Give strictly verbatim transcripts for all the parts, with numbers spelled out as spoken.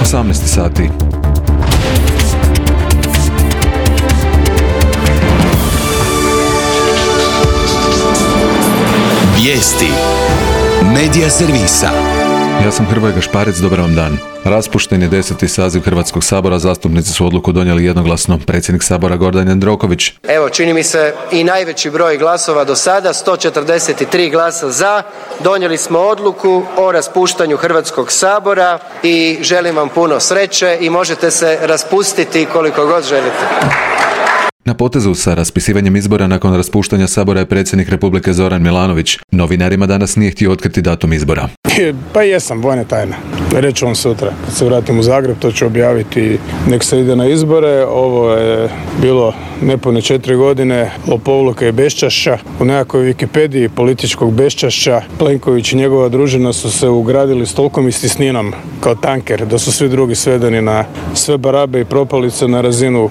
osamnaest sati. Vijesti Medija servisa. Ja sam Hrvoje Gašparec, dobar vam dan. Raspušten je deseti saziv Hrvatskog sabora, zastupnici su odluku donijeli jednoglasno. Predsjednik sabora Gordan Jandroković. Evo, čini mi se i najveći broj glasova do sada, sto četrdeset tri glasa za. Donijeli smo odluku o raspuštanju Hrvatskog sabora i želim vam puno sreće i možete se raspustiti koliko god želite. Na potezu sa raspisivanjem izbora nakon raspuštanja sabora je predsjednik Republike Zoran Milanović. Novinarima danas nije htio otkriti datum izbora. Pa jesam, vojna tajna. Reću vam sutra. Kad se vratim u Zagreb, to ću objaviti. Nek se ide na izbore. Ovo je bilo nepune četiri godine lopovluka i beščašća. U nekakvoj Wikipediji političkog beščašća Plenković i njegova družina su se ugradili s tolkom i stisninom kao tanker, da su svi drugi svedeni na sve barabe i propalice na razinu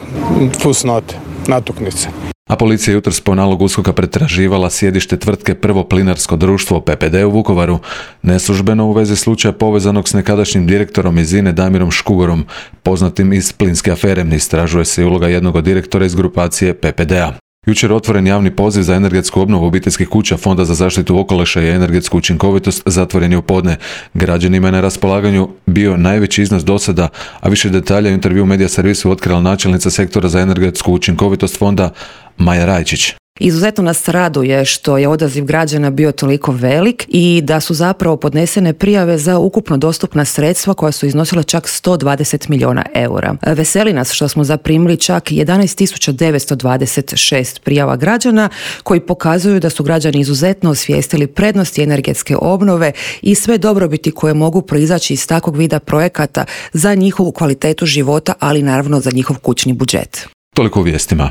fusnote, natuknice. A policija jutros po nalogu USKOK-a pretraživala sjedište tvrtke Prvo plinarsko društvo P P D u Vukovaru, neslužbeno u vezi slučaja povezanog s nekadašnjim direktorom iz INA-e Damirom Škugorom, poznatim iz plinske afere. Istražuje se i uloga jednog od direktora iz grupacije P P D-a. Jučer otvoren javni poziv za energetsku obnovu obiteljskih kuća Fonda za zaštitu okoliša i energetsku učinkovitost zatvoren je u podne. Građanima je na raspolaganju bio najveći iznos do sada, a više detalja u intervju Medija servisu otkrila načelnica sektora za energetsku učinkovitost fonda Maja Rajčić. Izuzetno nas raduje što je odaziv građana bio toliko velik i da su zapravo podnesene prijave za ukupno dostupna sredstva koja su iznosila čak sto dvadeset milijuna eura. Veseli nas što smo zaprimili čak jedanaest tisuća devetsto dvadeset šest prijava građana koji pokazuju da su građani izuzetno osvijestili prednosti energetske obnove i sve dobrobiti koje mogu proizaći iz takvog vida projekata za njihovu kvalitetu života, ali naravno za njihov kućni budžet. Toliko u vijestima.